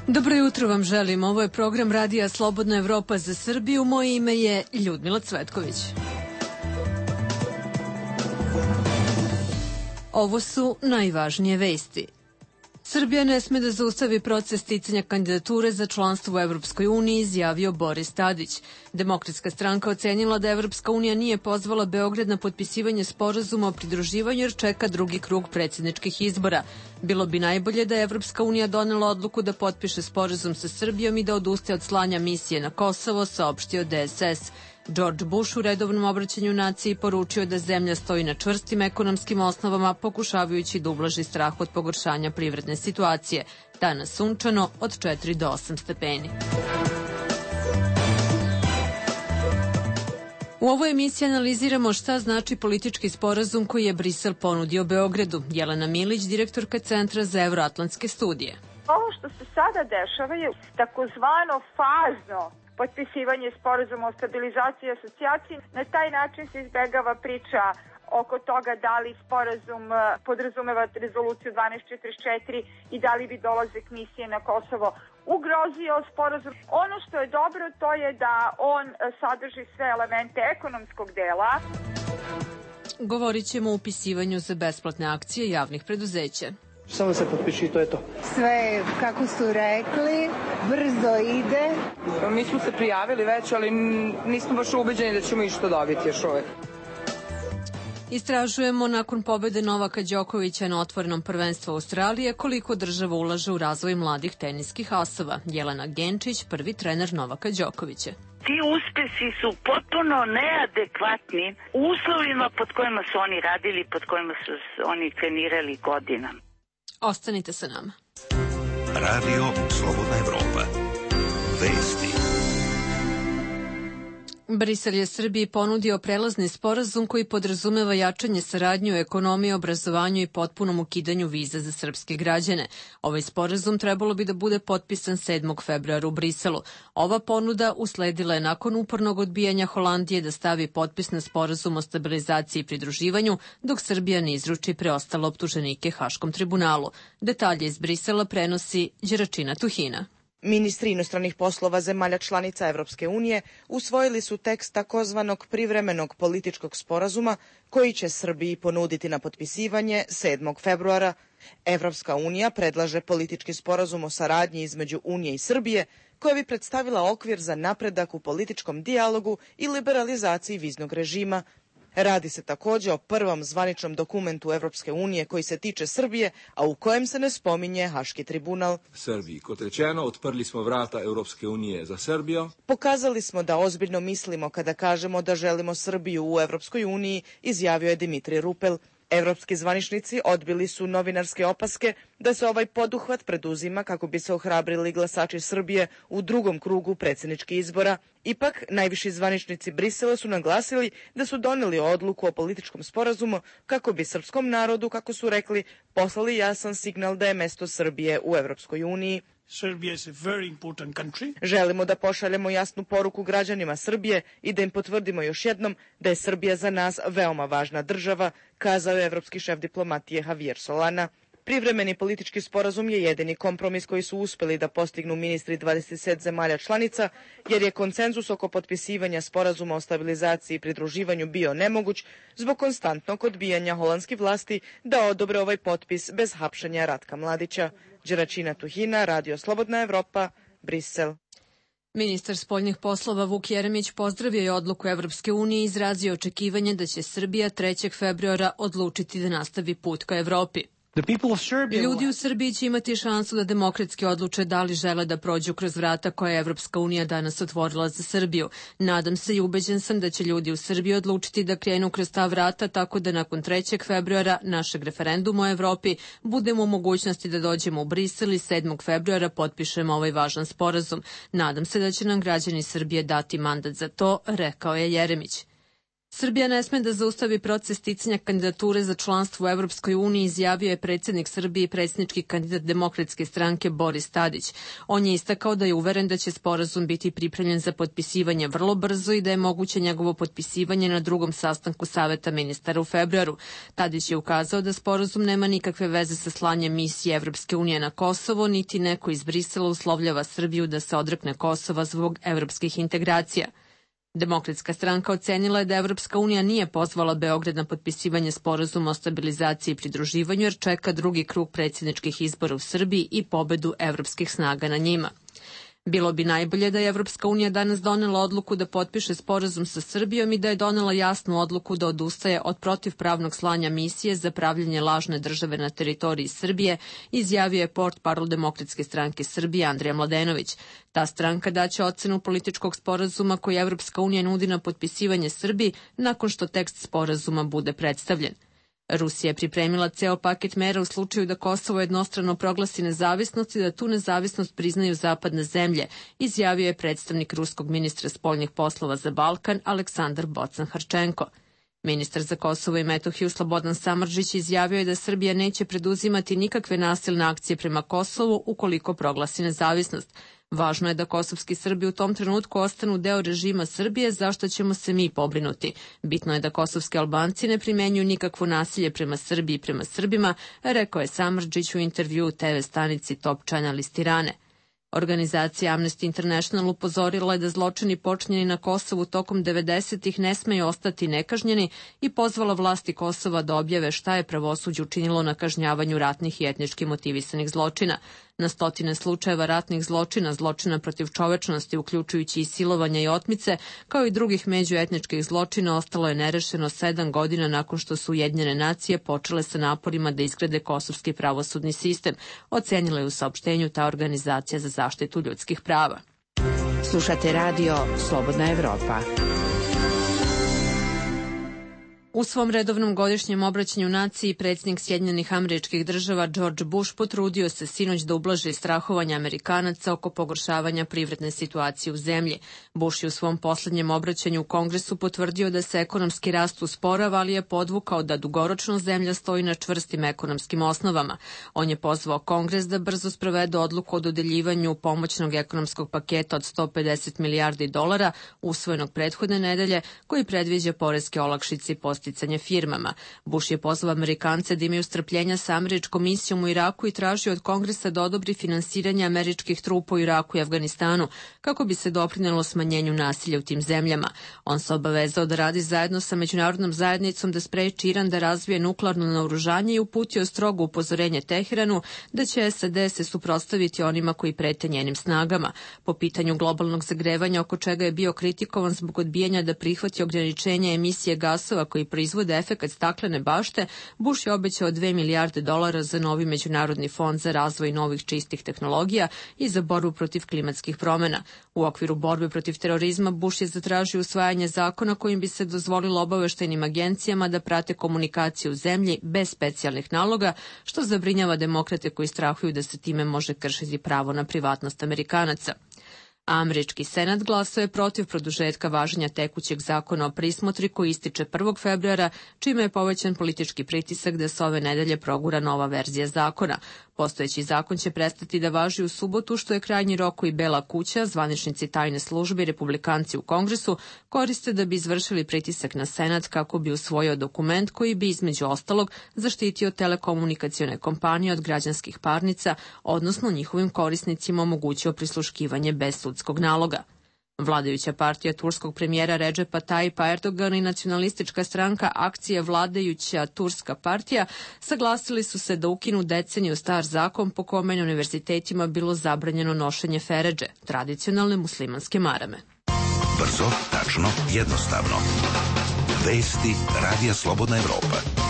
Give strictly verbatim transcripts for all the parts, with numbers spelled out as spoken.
Dobro jutro vam želim. Ovo je program Radija Slobodna Evropa za Srbiju. Moje ime je Ljudmila Cvetković. Ovo su najvažnije vesti. Srbija ne sme da zaustavi proces sticanja kandidature za članstvo u Evropskoj uniji, izjavio Boris Tadić. Demokratska stranka ocenila da Evropska unija nije pozvala Beograd na potpisivanje sporazuma o pridruživanju jer čeka drugi krug predsjedničkih izbora. Bilo bi najbolje da je Evropska unija donela odluku da potpiše sporazum sa Srbijom i da odustaje od slanja misije na Kosovo, saopštio D S S. George Bush u redovnom obraćanju naciji poručio da zemlja stoji na čvrstim ekonomskim osnovama, pokušavajući da ublaži strah od pogoršanja privredne situacije. Danas sunčano od četiri do osam stepeni. U ovoj emisiji analiziramo šta znači politički sporazum koji je Brisel ponudio Beogradu. Jelena Milić, direktorka Centra za evroatlantske studije. Ovo što se sada dešava je takozvano fazno potpisivanje sporazuma o stabilizaciji i asocijaciji. Na taj način se izbegava priča oko toga da li sporazum podrazumeva rezoluciju dvanaest četrdeset četiri i da li bi dolazak misije na Kosovo ugrozio sporazum. Ono što je dobro to je da on sadrži sve elemente ekonomskog dela. Govorit ćemo o upisivanju za besplatne akcije javnih preduzeća. Samo se potpiši, to je to. Sve, kako su rekli, brzo ide. Mi smo se prijavili već, ali nismo baš ubeđeni da ćemo išta dobiti još uvek. Istražujemo nakon pobede Novaka Đokovića na otvorenom prvenstvu Australije koliko država ulaže u razvoj mladih teniskih asova. Jelena Genčić, prvi trener Novaka Đokovića. Ti uspesi su potpuno neadekvatni uslovima pod kojima su oni radili, pod kojima su oni trenirali godinama. Ostanite sa nama. Radio Slobodna Evropa. Vesti. Brisel je Srbiji ponudio prelazni sporazum koji podrazumeva jačanje saradnje u ekonomiji, obrazovanju i potpunom ukidanju viza za srpske građane. Ovaj sporazum trebalo bi da bude potpisan sedmog februara u Briselu. Ova ponuda usledila je nakon upornog odbijanja Holandije da stavi potpis na sporazum o stabilizaciji i pridruživanju, dok Srbija ne izruči preostale optuženike Haškom tribunalu. Detalje iz Brisela prenosi Đeračina Tuhina. Ministri inostranih poslova zemalja članica Evropske unije usvojili su tekst takozvanog privremenog političkog sporazuma koji će Srbiji ponuditi na potpisivanje sedmog februara. Evropska unija predlaže politički sporazum o saradnji između Unije i Srbije koja bi predstavila okvir za napredak u političkom dijalogu i liberalizaciji viznog režima. Radi se takođe o prvom zvaničnom dokumentu Evropske unije koji se tiče Srbije, a u kojem se ne spominje Haški tribunal. Srbiji, kot rečeno, otprli smo vrata Evropske unije za Srbijo. Pokazali smo da ozbiljno mislimo kada kažemo da želimo Srbiju u Evropskoj uniji, izjavio je Dimitrij Rupel. Evropski zvaničnici odbili su novinarske opaske da se ovaj poduhvat preduzima kako bi se ohrabrili glasači Srbije u drugom krugu predsjedničkih izbora. Ipak, najviši zvaničnici Brisela su naglasili da su doneli odluku o političkom sporazumu kako bi srpskom narodu, kako su rekli, poslali jasan signal da je mesto Srbije u Evropskoj uniji. Želimo da pošaljemo jasnu poruku građanima Srbije i da im potvrdimo još jednom da je Srbija za nas veoma važna država, kazao je evropski šef diplomatije Javier Solana. Privremeni politički sporazum je jedini kompromis koji su uspeli da postignu ministri dvadeset sedam zemalja članica, jer je konsenzus oko potpisivanja sporazuma o stabilizaciji i pridruživanju bio nemoguć zbog konstantnog odbijanja holandskih vlasti da odobre ovaj potpis bez hapšenja Ratka Mladića. Đeračina Tuhina, Radio Slobodna Evropa, Brisel. Ministar spoljnih poslova Vuk Jeremić pozdravio je odluku Evropske unije i izrazio očekivanje da će Srbija trećeg februara odlučiti da nastavi put ka Evropi. Ljudi u Srbiji će imati šansu da demokratski odluče da li žele da prođu kroz vrata koje je Evropska unija danas otvorila za Srbiju. Nadam se i ubeđen sam da će ljudi u Srbiji odlučiti da krenu kroz ta vrata tako da nakon trećeg februara našeg referenduma o Evropi budemo u mogućnosti da dođemo u Brisel i sedmog februara potpišemo ovaj važan sporazum. Nadam se da će nam građani Srbije dati mandat za to, rekao je Jeremić. Srbija ne sme da zaustavi proces sticanja kandidature za članstvo u Evropskoj uniji, izjavio je predsjednik Srbije i predsjednički kandidat Demokratske stranke Boris Tadić. On je istakao da je uveren da će sporazum biti pripremljen za potpisivanje vrlo brzo i da je moguće njegovo potpisivanje na drugom sastanku Saveta ministara u februaru. Tadić je ukazao da sporazum nema nikakve veze sa slanjem misije Evropske unije na Kosovo, niti neko iz Brisela uslovljava Srbiju da se odrekne Kosova zbog evropskih integracija. Demokratska stranka ocenila je da Evropska unija nije pozvala Beograd na potpisivanje sporazuma o stabilizaciji i pridruživanju jer čeka drugi krug predsjedničkih izbora u Srbiji i pobedu evropskih snaga na njima. Bilo bi najbolje da je Evropska unija danas donela odluku da potpiše sporazum sa Srbijom i da je donela jasnu odluku da odustaje od protivpravnog slanja misije za pravljenje lažne države na teritoriji Srbije, izjavio je portparol Demokratske stranke Srbije Andrija Mladenović. Ta stranka daće ocenu političkog sporazuma koji Evropska unija nudi na potpisivanje Srbiji nakon što tekst sporazuma bude predstavljen. Rusija je pripremila ceo paket mera u slučaju da Kosovo jednostrano proglasi nezavisnost i da tu nezavisnost priznaju zapadne zemlje, izjavio je predstavnik ruskog ministra spoljnih poslova za Balkan Aleksandar Bocan-Harčenko. Ministar za Kosovo i Metohiju Slobodan Samardžić izjavio je da Srbija neće preduzimati nikakve nasilne akcije prema Kosovu ukoliko proglasi nezavisnost. Važno je da kosovski Srbi u tom trenutku ostanu deo režima Srbije, zašto ćemo se mi pobrinuti. Bitno je da kosovski Albanci ne primenjuju nikakvo nasilje prema Srbiji i prema Srbima, rekao je Samardžić u intervjuu te ve stanici Top Channel iz Tirane. Organizacija Amnesty International upozorila je da zločini počinjeni na Kosovu tokom devedesetih ne smeju ostati nekažnjeni i pozvala vlasti Kosova da objave šta je pravosuđe učinilo na kažnjavanju ratnih i etnički motivisanih zločina. Na stotine slučajeva ratnih zločina, zločina protiv čovečnosti, uključujući i silovanja i otmice, kao i drugih međuetničkih zločina, ostalo je nerešeno sedam godina nakon što su Ujedinjene nacije počele sa naporima da izgrade kosovski pravosudni sistem, ocenila je u saopštenju ta organizacija za zaštitu ljudskih prava. Slušate radio Slobodna Evropa. U svom redovnom godišnjem obraćanju naciji predsjednik Sjedinjenih Američkih Država George Bush potrudio se sinoć da ublaži strahovanje Amerikanaca oko pogoršavanja privredne situacije u zemlji. Bush je u svom poslednjem obraćanju u Kongresu potvrdio da se ekonomski rast usporava, ali je podvukao da dugoročno zemlja stoji na čvrstim ekonomskim osnovama. On je pozvao Kongres da brzo sprovede odluku o dodeljivanju pomoćnog ekonomskog paketa od sto pedeset milijardi dolara usvojenog prethodne nedelje, koji predviđa poreske olakšice i podsticanje firmama. Bush je pozvao Amerikance da imaju strpljenja sa američkom misijom u Iraku i tražio od Kongresa da odobri finansiranje američkih trupa u Iraku i Afganistanu, kako bi se doprinelo smanjenju nasilja u tim zemljama. On se obavezao da radi zajedno sa međunarodnom zajednicom da spreči Iran da razvije nuklearno naoružanje i uputio strogo upozorenje Teheranu da će es a de se suprotstaviti onima koji prete njenim snagama. Po pitanju globalnog zagrevanja, oko čega je bio kritikovan zbog odbijanja da prihvati ograničenje emisije gasova koji proizvode efekat staklene bašte, Bush je obećao dve milijarde dolara za novi međunarodni fond za razvoj novih čistih tehnologija i za borbu protiv klimatskih promena. U okviru borbe protiv terorizma Bush je zatražio usvajanje zakona kojim bi se dozvolilo obaveštajnim agencijama da prate komunikaciju u zemlji bez specijalnih naloga, što zabrinjava demokrate koji strahuju da se time može kršiti pravo na privatnost Amerikanaca. Američki senat glasao je protiv produžetka važenja tekućeg zakona o prismotri koji ističe prvog februara, čime je povećan politički pritisak da se ove nedelje progura nova verzija zakona. Postojeći zakon će prestati da važi u subotu, što je krajnji rok koji Bela kuća, zvaničnici tajne službe i republikanci u Kongresu koriste da bi izvršili pritisak na senat kako bi usvojio dokument koji bi između ostalog zaštitio telekomunikacione kompanije od građanskih parnica, odnosno njihovim korisnicima omogućio prisluškivanje bez sudskog naloga. Vladajuća partija turskog premijera Redžepa Tajipa Erdogana i nacionalistička stranka Akcija vladajuća Turska partija saglasili su se da ukinu deceniju star zakon po kome na univerzitetima bilo zabranjeno nošenje feredže, tradicionalne muslimanske marame. Brzo, tačno, jednostavno. Vesti Radija Slobodna Evropa.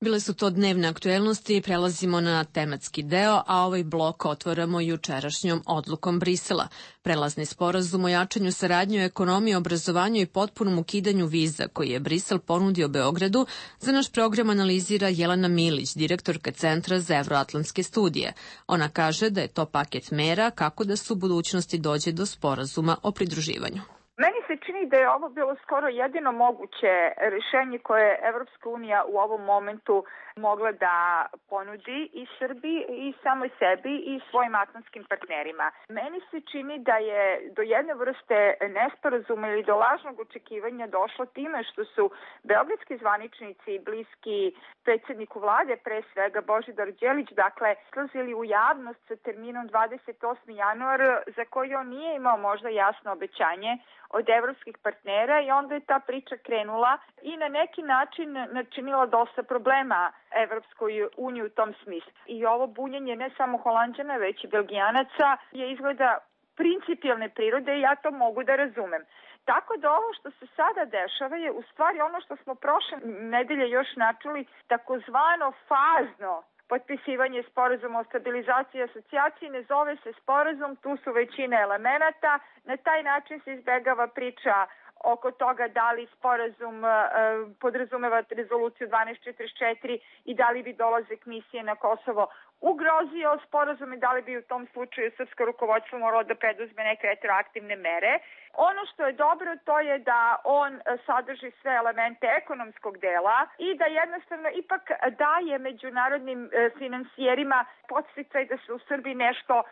Bile su to dnevne aktuelnosti, prelazimo na tematski deo, a ovaj blok otvaramo jučerašnjom odlukom Brisela. Prelazni sporazum o jačanju saradnje u ekonomiji, obrazovanju i potpunom ukidanju viza koji je Brisel ponudio Beogradu, za naš program analizira Jelena Milić, direktorka Centra za evroatlantske studije. Ona kaže da je to paket mera kako da se u budućnosti dođe do sporazuma o pridruživanju. Meni se čini da je ovo bilo skoro jedino moguće rješenje koje Evropska unija u ovom momentu mogla da ponudi i Srbiji i samoj sebi i svojim atlantskim partnerima. Meni se čini da je do jedne vrste nesporazuma ili do lažnog očekivanja došlo time što su beogradski zvaničnici bliski predsjedniku vlade, pre svega Božidar Đelić, dakle, slazili u javnost sa terminom dvadeset osmi januar za koji on nije imao možda jasno obećanje od evropskih partnera i onda je ta priča krenula i na neki način načinila dosta problema Evropskoj uniji u tom smislu. I ovo bunjenje ne samo Holanđana, već i Belgijanaca je izgleda principijelne prirode i ja to mogu da razumem. Tako da ovo što se sada dešava je u stvari ono što smo prošle nedelje još načuli, takozvano fazno potpisivanje sporazuma o stabilizaciji i asocijaciji. Ne zove se sporazum, tu su većina elemenata. Na taj način se izbegava priča oko toga da li sporazum e, podrazumeva rezoluciju dvanaest četrdeset četiri i da li bi dolazak misije na Kosovo ugrozio sporazum i da li bi u tom slučaju srpsko rukovodstvo moralo da preduzme neke retroaktivne mere. Ono što je dobro to je da on sadrži sve elemente ekonomskog dela i da jednostavno ipak daje međunarodnim finansijerima podsticaj da se u Srbiji nešto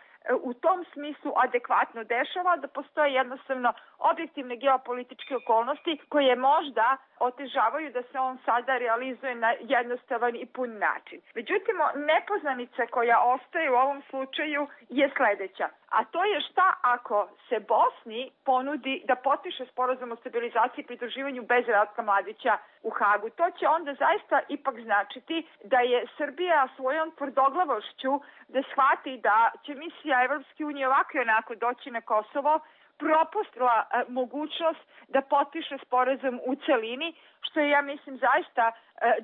u tom smislu adekvatno dešava, da postoje jednostavno objektivne geopolitičke okolnosti koje možda otežavaju da se on sada realizuje na jednostavan i pun način. Međutim, nepoznanica koja ostaje u ovom slučaju je sledeća, a to je šta ako se Bosni ponudi da potpiše sporazum o stabilizaciji i pridruživanju bez Ratka Mladića u Hagu. To će onda zaista ipak značiti da je Srbija svojom tvrdoglavošću da shvati da će misija Evropske unije ovako i onako doći na Kosovo, propustila e, mogućnost da potpiše sporazum u celini, što je, ja mislim, zaista e,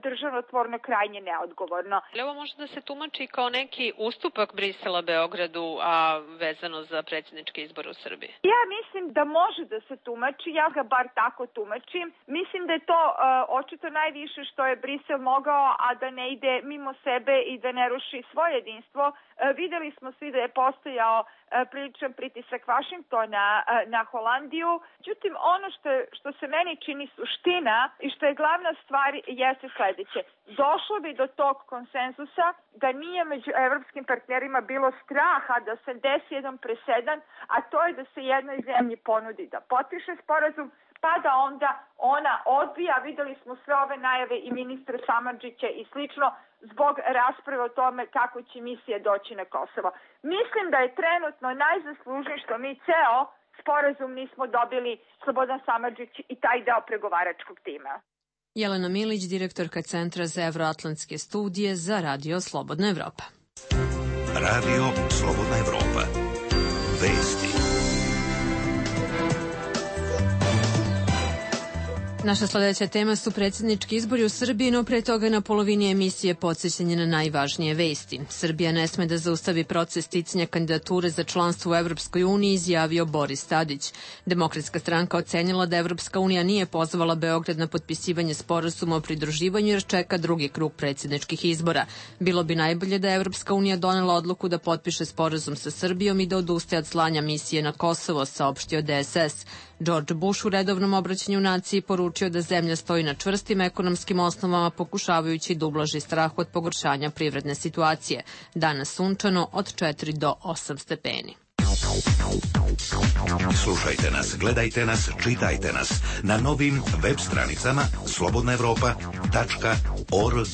državotvorno krajnje neodgovorno. Ovo može da se tumači kao neki ustupak Brisela Beogradu, a vezano za predsjednički izbor u Srbiji? Ja mislim da može da se tumači, ja ga bar tako tumačim. Mislim da je to e, očito najviše što je Brisel mogao, a da ne ide mimo sebe i da ne ruši svoje jedinstvo. E, videli smo svi da je postojao e, priličan pritisak Vašingtona e, na Holandiju. Međutim, ono što, što se meni čini suština i što je glavna stvar jeste sledeće. Došlo bi do tog konsenzusa da nije među evropskim partnerima bilo straha da se desi jedan presedan, a to je da se jednoj zemlji ponudi da potpiše sporazum, pa da onda ona odbija. Videli smo sve ove najave i ministra Samardžića i slično zbog rasprave o tome kako će misija doći na Kosovo. Mislim da je trenutno najzaslužnije što mi ceo sporazum nismo dobili, Slobodan Samardžić i taj deo pregovaračkog tima. Jelena Milić, direktorka Centra za evroatlantske studije za Radio Slobodna Evropa. Radio Slobodna Evropa. Vesti. Naša sledeća tema su predsjednički izbori u Srbiji, no pre toga na polovini emisije podsjećanje na najvažnije vesti. Srbija ne sme da zaustavi proces sticanja kandidature za članstvo u Evropskoj uniji, izjavio Boris Tadić. Demokratska stranka ocenila da Evropska unija nije pozvala Beograd na potpisivanje sporazuma o pridruživanju jer čeka drugi krug predsjedničkih izbora. Bilo bi najbolje da Evropska unija donela odluku da potpiše sporazum sa Srbijom i da odustaje od slanja misije na Kosovo, saopštio D S S. George Bush u redovnom obraćanju naciji poručio da zemlja stoji na čvrstim ekonomskim osnovama pokušavajući da ublaži strah od pogoršanja privredne situacije. Danas sunčano od četiri do osam stepeni. Slušajte nas, gledajte nas, čitajte nas na novim web stranicama slobodna evropa tačka org.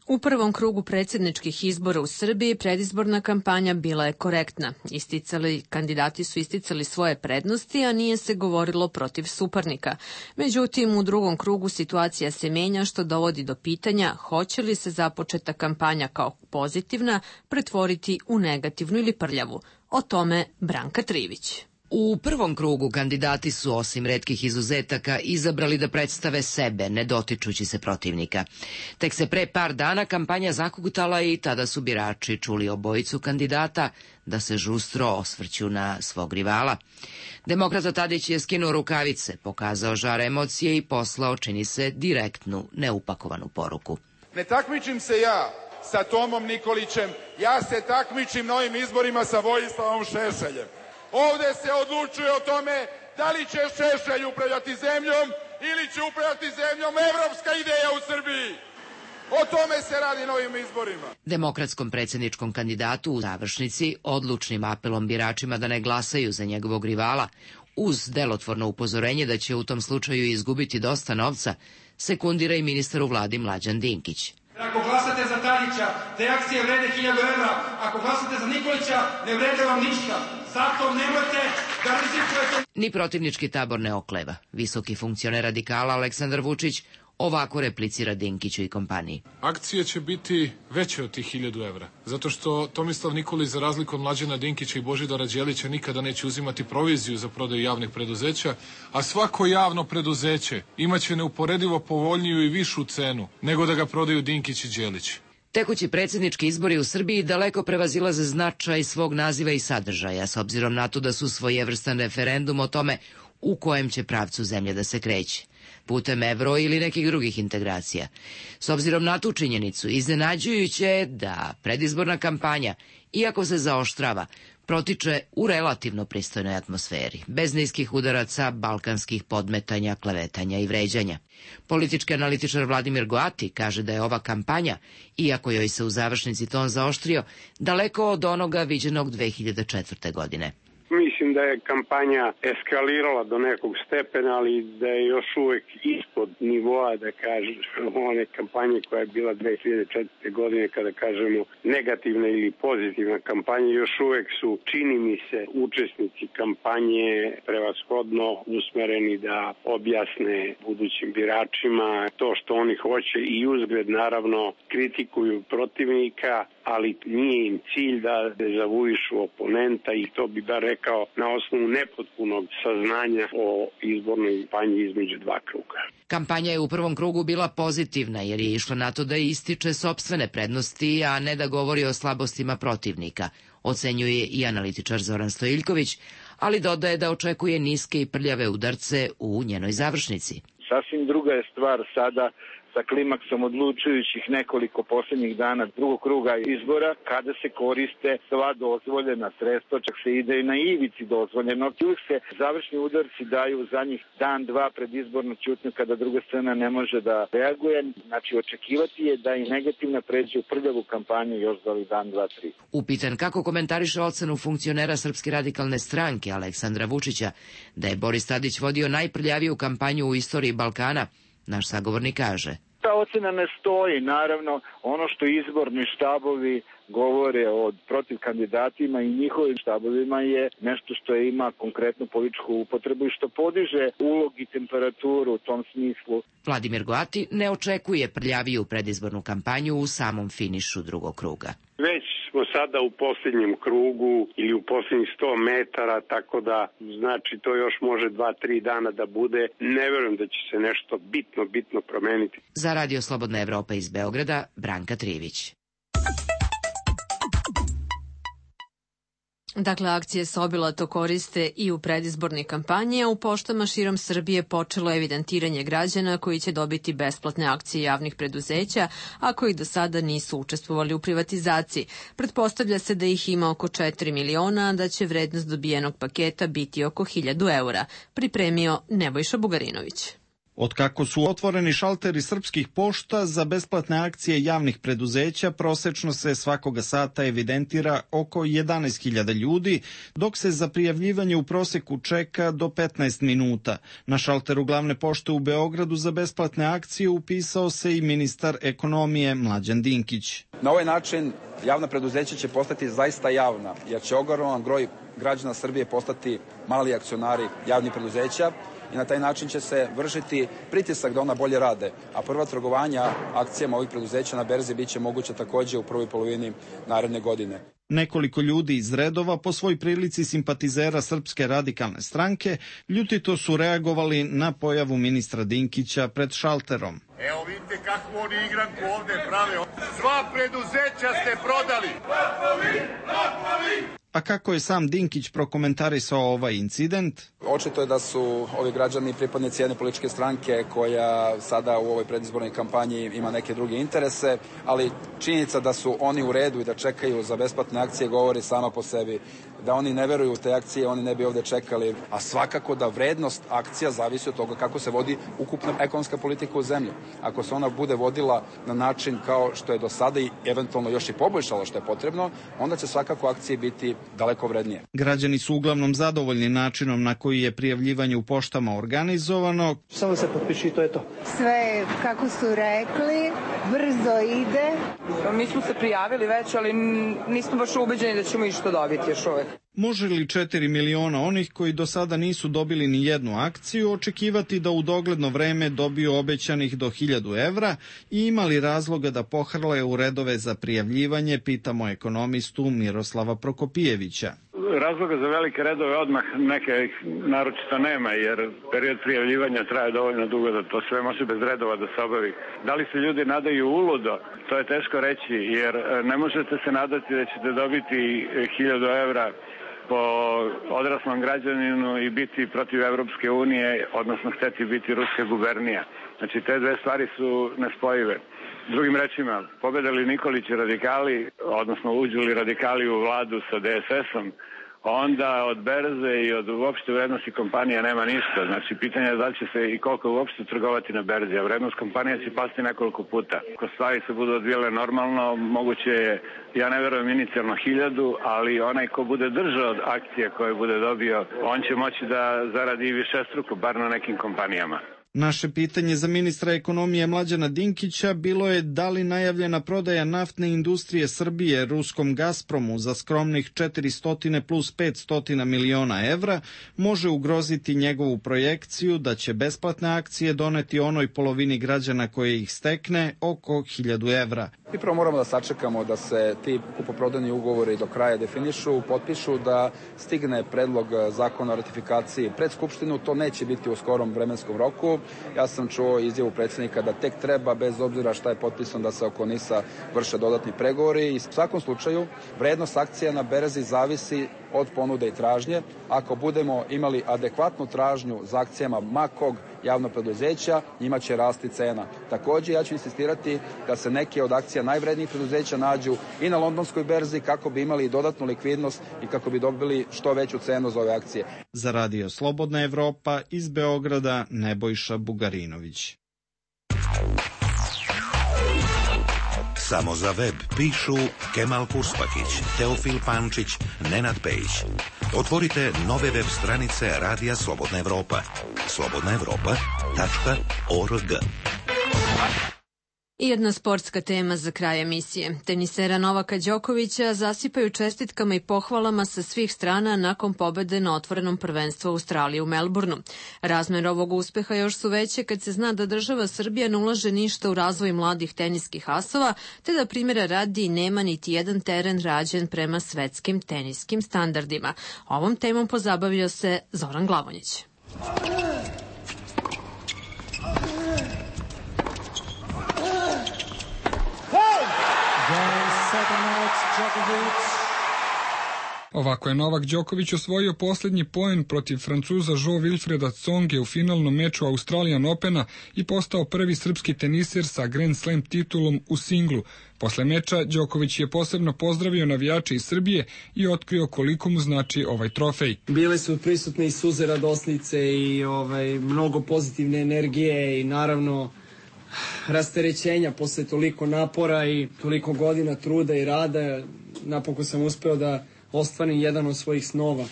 U prvom krugu predsjedničkih izbora u Srbiji predizborna kampanja bila je korektna. Isticali, kandidati su isticali svoje prednosti, a nije se govorilo protiv suparnika. Međutim, u drugom krugu situacija se menja, što dovodi do pitanja hoće li se započeta kampanja kao pozitivna pretvoriti u negativnu ili prljavu. O tome Branka Trivić. U prvom krugu kandidati su, osim retkih izuzetaka, izabrali da predstave sebe, ne dotičući se protivnika. Tek se pre par dana kampanja zakukutala i tada su birači čuli obojicu kandidata da se žustro osvrću na svog rivala. Demokrata Tadić je skinuo rukavice, pokazao žar emocije i poslao, čini se, direktnu, neupakovanu poruku. Ne takmičim se ja sa Tomom Nikolićem, ja se takmičim na ovim izborima sa Vojislavom Šešeljem. Ovde se odlučuje o tome da li će Šešelj upravljati zemljom ili će upravljati zemljom evropska ideja u Srbiji. O tome se radi na ovim izborima. Demokratskom predsjedničkom kandidatu u završnici, odlučnim apelom biračima da ne glasaju za njegovog rivala, uz delotvorno upozorenje da će u tom slučaju izgubiti dosta novca, sekundira i ministar u vladi Mlađan Dinkić. Ako glasate za Tadića, te akcije vrede hiljadu evra, ako glasate za Nikolića, ne vrede vam ništa. Zato nemojte da rizikujete. Ni protivnički tabor ne okleva. Visoki funkcioner radikala Aleksandar Vučić ovako replicira Dinkiću i kompaniji. Akcije će biti veće od tih hiljadu evra, zato što Tomislav Nikolić, za razliku od Mlađana Dinkića i Božidara Đelića, nikada neće uzimati proviziju za prodaju javnih preduzeća, a svako javno preduzeće imaće neuporedivo povoljniju i višu cenu nego da ga prodaju Dinkić i Đelić. Tekući predsjednički izbori u Srbiji daleko prevazilaze značaj svog naziva i sadržaja, s obzirom na to da su svojevrstan referendum o tome u kojem će pravcu zemlje da se kreće, putem evro ili nekih drugih integracija. S obzirom na tu činjenicu, iznenađujuće je da predizborna kampanja, iako se zaoštrava, protiče u relativno pristojnoj atmosferi, bez niskih udaraca, balkanskih podmetanja, klevetanja i vređanja. Politički analitičar Vladimir Goati kaže da je ova kampanja, iako joj se u završnici ton zaoštrio, daleko od onoga viđenog dve hiljade četvrte. godine. Mislim da je kampanja eskalirala do nekog stepena, ali da je još uvek ispod nivoa, da kažem, one kampanje koja je bila dve hiljade četvrte. godine, kada kažemo negativna ili pozitivna kampanja, još uvek su, čini mi se, učesnici kampanje prevashodno usmereni da objasne budućim biračima to što oni hoće i uzgled, naravno, kritikuju protivnika, ali nije im cilj da dezavuišu oponenta i to bi bar rekao na osnovu nepotpunog saznanja o izbornoj kampanji između dva kruga. Kampanja je u prvom krugu bila pozitivna jer je išla na to da ističe sopstvene prednosti, a ne da govori o slabostima protivnika, ocenjuje i analitičar Zoran Stojiljković, ali dodaje da očekuje niske i prljave udarce u njenoj završnici. Sasvim druga je stvar sada sa klimaksom odlučujućih nekoliko posljednjih dana drugog kruga izbora, kada se koriste sva dozvoljena sredstva, čak se ide i na ivici dozvoljeno. Uvijek se završni udarci daju za njih dan, dva pred izbornu ćutnju, kada druga strana ne može da reaguje. Znači, očekivati je da i negativna pređe u prljavu kampanju još za ovih dan, dva, tri. Upitan kako komentariše ocenu funkcionera Srpske radikalne stranke Aleksandra Vučića da je Boris Tadić vodio najprljaviju kampanju u istoriji Balkana, naš sagovornik kaže: ta ocena ne stoji. Naravno, ono što izborni štabovi govore o protiv kandidatima i njihovim štabovima je nešto što ima konkretnu političku upotrebu i što podiže ulog i temperaturu u tom smislu. Vladimir Goati ne očekuje prljaviju predizbornu kampanju u samom finišu drugog kruga. Već smo sada u posljednjem krugu ili u posljednjih sto metara, tako da znači to još može dva, tri dana da bude. Ne verujem da će se nešto bitno, bitno promeniti. Za Radio Slobodna Evropa iz Beograda, Branka Trivić. Dakle, akcije Sobilato koriste i u predizbornoj kampanji, a u poštama širom Srbije počelo evidentiranje građana koji će dobiti besplatne akcije javnih preduzeća, a koji do sada nisu učestvovali u privatizaciji. Pretpostavlja se da ih ima oko četiri miliona, a da će vrednost dobijenog paketa biti oko hiljadu eura, pripremio Nebojša Bugarinović. Otkako su otvoreni šalteri srpskih pošta za besplatne akcije javnih preduzeća, prosečno se svakoga sata evidentira oko jedanaest hiljada ljudi, dok se za prijavljivanje u proseku čeka do petnaest minuta. Na šalteru glavne pošte u Beogradu za besplatne akcije upisao se i ministar ekonomije Mlađan Dinkić. Na ovaj način javna preduzeća će postati zaista javna, jer će ogroman broj građana Srbije postati mali akcionari javnih preduzeća, i na taj način će se vršiti pritisak da ona bolje rade, a prva trgovanja akcijama ovih preduzeća na berzi biće moguće takođe u prvoj polovini naredne godine. Nekoliko ljudi iz redova, po svoj prilici simpatizera Srpske radikalne stranke, ljutito su reagovali na pojavu ministra Dinkića pred šalterom. Evo vidite kakvu oni igranku ovde prave. Sva preduzeća ste prodali. Lopovi, lopovi. A kako je sam Dinkić prokomentarisao ovaj incident? Očito je da su ovi građani pripadnici jedne političke stranke koja sada u ovoj predizbornoj kampanji ima neke druge interese, ali činjenica da su oni u redu i da čekaju za besplatne akcije govori sama po sebi. da oni ne veruju u te akcije, oni ne bi ovde čekali. A svakako da vrednost akcija zavisi od toga kako se vodi ukupna ekonomska politika u zemlji. Ako se ona bude vodila na način kao što je do sada i eventualno još i poboljšala što je potrebno, onda će svakako akcije biti daleko vrednije. Građani su uglavnom zadovoljni načinom na koji je prijavljivanje u poštama organizovano. Samo se potpiši, to je to. Sve, kako su rekli, brzo ide. Mi smo se prijavili već, ali nismo baš ubeđeni da ćemo išta dobiti još uvek. Može li četiri miliona onih koji do sada nisu dobili ni jednu akciju očekivati da u dogledno vreme dobiju obećanih do hiljadu evra i ima li razloga da pohrle u redove za prijavljivanje, pitamo ekonomistu Miroslava Prokopijevića. Razloga za velike redove odmah neke naročito nema, jer period prijavljivanja traje dovoljno dugo da to sve može bez redova da se obavi. Da li se ljudi nadaju uludo, to je teško reći, jer ne možete se nadati da ćete dobiti hiljadu evra po odraslom građaninu i biti protiv Evropske unije, odnosno hteti biti ruska gubernija. Znači, te dve stvari su nespojive. Drugim rečima, pobede li Nikolić i radikali, odnosno uđu li radikali u vladu sa D S S-om, onda od berze i od uopšte vrednosti kompanija nema ništa. Znači, pitanje je da li će se i koliko uopšte trgovati na berzi, a vrednost kompanija će pasti nekoliko puta. Ako stvari se budu odvijele normalno, moguće je, ja ne verujem inicijalno hiljadu, ali onaj ko bude držao od akcije koje bude dobio, on će moći da zaradi višestruko, bar na nekim kompanijama. Naše pitanje za ministra ekonomije Mlađana Dinkića bilo je da li najavljena prodaja naftne industrije Srbije ruskom Gazpromu za skromnih četiristo plus petsto miliona evra može ugroziti njegovu projekciju da će besplatne akcije doneti onoj polovini građana koje ih stekne oko hiljadu evra. I prvo moramo da sačekamo da se ti kupoprodajni ugovori do kraja definišu, potpišu, da stigne predlog zakona o ratifikaciji pred Skupštinu. To neće biti u skorom vremenskom roku. Ja sam čuo izjavu predsjednika da tek treba, bez obzira šta je potpisano, da se oko NIS-a vrše dodatni pregovori. I u svakom slučaju, vrednost akcija na berzi zavisi od ponude i tražnje. Ako budemo imali adekvatnu tražnju za akcijama makog javnog preduzeća, njima će rasti cena. Takođe, ja ću insistirati da se neke od akcija najvrednijih preduzeća nađu i na londonskoj berzi kako bi imali dodatnu likvidnost i kako bi dobili što veću cenu za ove akcije. Za Radio Slobodna Evropa iz Beograda Nebojša Bugarinović. Samo za web pišu Kemal Purspakić, Teofil Pančić, Nenad Pejić. Otvorite nove web stranice Radija Slobodna Evropa. slobodna evropa tačka org. I jedna sportska tema za kraj emisije. Tenisera Novaka Đokovića zasipaju čestitkama i pohvalama sa svih strana nakon pobede na otvorenom prvenstvu Australije u Melbourneu. Razmer ovog uspeha još su veće kad se zna da država Srbija ne ulaže ništa u razvoj mladih teniskih asova, te da primjera radi nema niti jedan teren rađen prema svetskim teniskim standardima. Ovom temom pozabavio se Zoran Glavonjić. Ovako je Novak Đoković osvojio posljednji poen protiv Francuza Jo-Wilfreda Tsonge u finalnom meču Australian Opena i postao prvi srpski teniser sa Grand Slam titulom u singlu. Posle meča Đoković je posebno pozdravio navijače iz Srbije i otkrio koliko mu znači ovaj trofej. Bile su prisutne i suze radosnice i ovaj, mnogo pozitivne energije i naravno rasterećenja posle toliko napora i toliko godina truda i rada. Napokon sam uspeo da ostvarim jedan od svojih snova.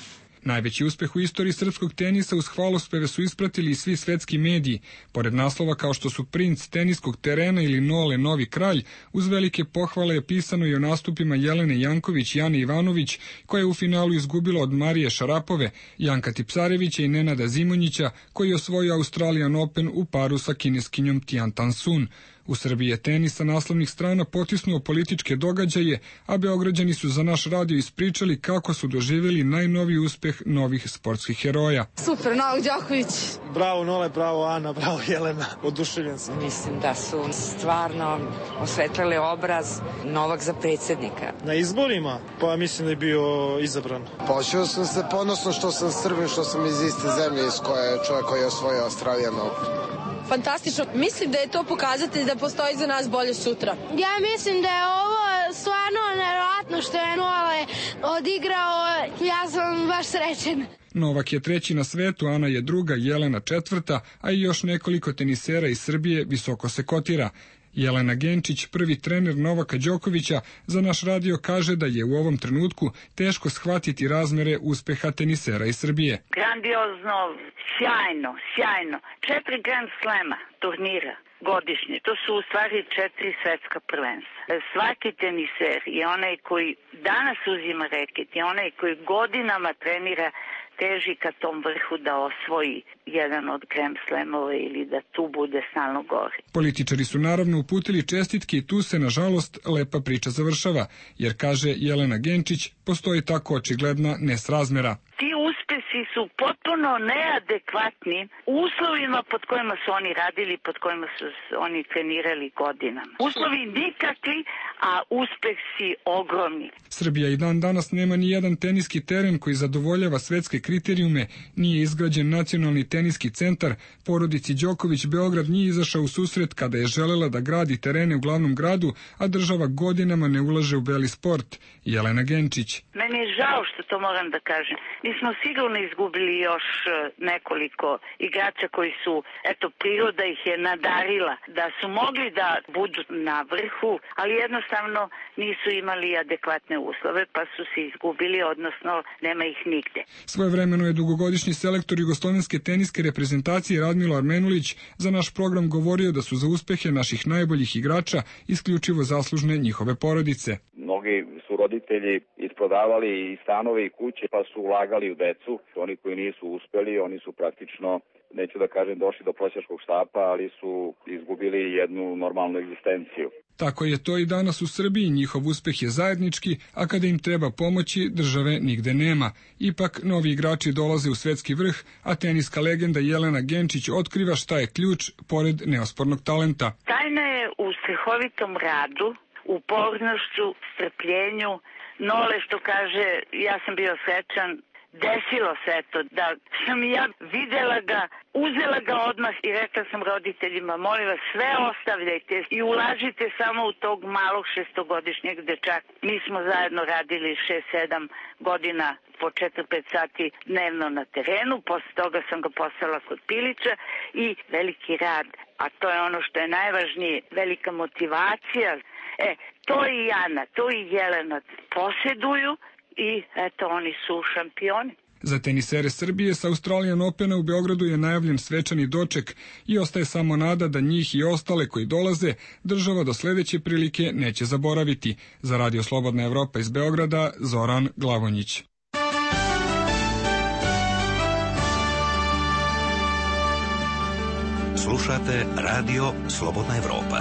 Najveći uspeh u istoriji srpskog tenisa uz hvalospeve su ispratili i svi svetski mediji. Pored naslova kao što su princ teniskog terena ili Nole novi kralj, uz velike pohvale je pisano i o nastupima Jelene Janković i Ane Ivanović, koja je u finalu izgubila od Marije Šarapove, Janka Tipsarevića i Nenada Zimonjića, koji je osvojio Australian Open u paru sa kineskinjom Tian Tan Sun. U Srbiji je tenis sa naslovnih strana potisnuo političke događaje, a Beograđani su za naš radio ispričali kako su doživjeli najnoviji uspeh novih sportskih heroja. Super, Novak Đoković. Bravo Nole, bravo Ana, bravo Jelena, oduševljen sam. Mislim da su stvarno osvetlili obraz Novak za predsjednika. Na izborima? Pa mislim da je bio izabran. Počeo sam se ponosno što sam Srbin, što sam iz iste zemlje iz koje je čovjek koji je osvojio Australijan Open. Fantastično. Mislim da je to pokazatelj da postoji za nas bolje sutra. Ja mislim da je ovo stvarno nevjerojatno što je Nole odigrao. Ja baš srećen. Novak je treći na svetu, Ana je druga, Jelena četvrta, a i još nekoliko tenisera iz Srbije visoko se kotira. Jelena Genčić, prvi trener Novaka Đokovića, za naš radio kaže da je u ovom trenutku teško shvatiti razmere uspeha tenisera iz Srbije. Grandiozno, sjajno, sjajno. Četiri Grand Slema turnira godišnje. To su u stvari četiri svetska prvenstva. Svaki teniser je onaj koji danas uzima reket, je onaj koji godinama trenira, teži ka tom vrhu da osvoji jedan od Grand Slamova ili da tu bude stalno gore. Političari su naravno uputili čestitke i tu se, nažalost, lepa priča završava, jer, kaže Jelena Genčić, postoji tako očigledna nesrazmera. Ti uspesi su potpuno neadekvatni uslovima pod kojima su oni radili, pod kojima su oni trenirali godinama. Uslovi nikakvi, a uspesi ogromni. Srbija i dan danas nema ni jedan teniski teren koji zadovoljava svetske kriterijume, nije izgrađen nacionalni teniski centar, porodici Đoković Beograd nije izašao u susret kada je želela da gradi terene u glavnom gradu, a država godinama ne ulaže u beli sport. Jelena Genčić. Meni je žao što to moram da kažem. Mi smo sigurno izgubili još nekoliko igrača koji su, eto, priroda ih je nadarila, da su mogli da budu na vrhu, ali jednostavno nisu imali adekvatne uslove, pa su se izgubili, odnosno nema ih nigde. Svojevremeno je dugogodišnji selektor jugoslovenske teniske reprezentacije Radmilo Armenulić za naš program govorio da su za uspehe naših najboljih igrača isključivo zaslužne njihove porodice. Mnogi su roditelji isprodavali i stanove i kuće pa su ulagali u decu. Oni koji nisu uspeli, oni su praktično, neću da kažem, došli do prosjačkog štapa, ali su izgubili jednu normalnu egzistenciju. Tako je to i danas u Srbiji, njihov uspeh je zajednički, a kada im treba pomoći, države nigde nema. Ipak, novi igrači dolaze u svetski vrh, a teniska legenda Jelena Genčić otkriva šta je ključ, pored neospornog talenta. Tajna je u strehovitom radu, upornošću, strpljenju. Nole što kaže, ja sam bio srećan, desilo se to da sam ja videla ga, uzela ga odmah i rekla sam roditeljima, molim vas, sve ostavljajte i ulažite samo u tog malog šestogodišnjeg dečaka. Mi smo zajedno radili šest sedam godina po četiri pet sati dnevno na terenu, posle toga sam ga poslala kod Pilića i veliki rad, a to je ono što je najvažnije, velika motivacija. E, to i Jana, to i Jelena posjeduju i eto, oni su šampioni. Za tenisere Srbije sa Australian Opena u Beogradu je najavljen svečani doček i ostaje samo nada da njih i ostale koji dolaze država do sledeće prilike neće zaboraviti. Za Radio Slobodna Evropa iz Beograda, Zoran Glavonjić. Slušate Radio Slobodna Evropa.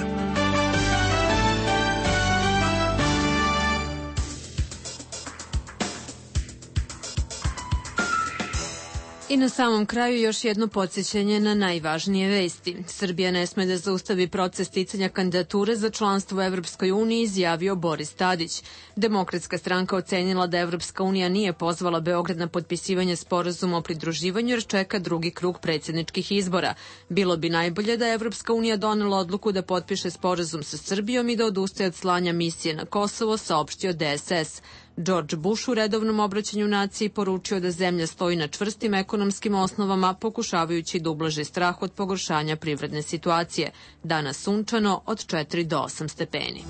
I na samom kraju još jedno podsjećanje na najvažnije vesti. Srbija ne sme da zaustavi proces sticanja kandidature za članstvo u Evropskoj uniji, izjavio Boris Tadić. Demokratska stranka ocenila da Evropska unija nije pozvala Beograd na potpisivanje sporazuma o pridruživanju jer čeka drugi krug predsjedničkih izbora. Bilo bi najbolje da Evropska unija donela odluku da potpiše sporazum sa Srbijom i da odustaje od slanja misije na Kosovo, saopštio D S S. George Bush u redovnom obraćanju naciji poručio da zemlja stoji na čvrstim ekonomskim osnovama, pokušavajući da ublaži strah od pogoršanja privredne situacije. Danas sunčano od četiri do osam stepeni.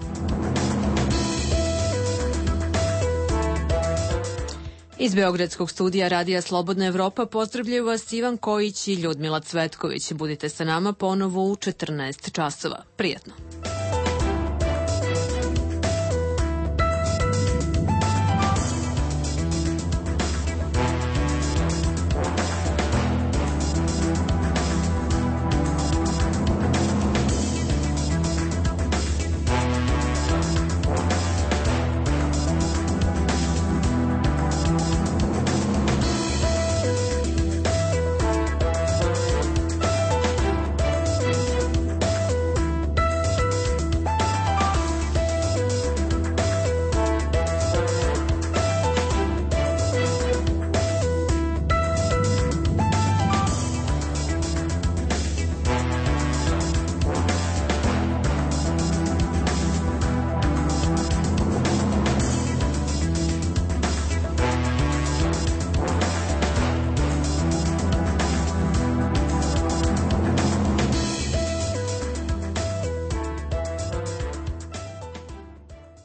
Iz Beogradskog studija Radija Slobodna Evropa pozdravljaju vas Ivan Kojić i Ljudmila Cvetković. Budite sa nama ponovo u četrnaest časova. Prijatno.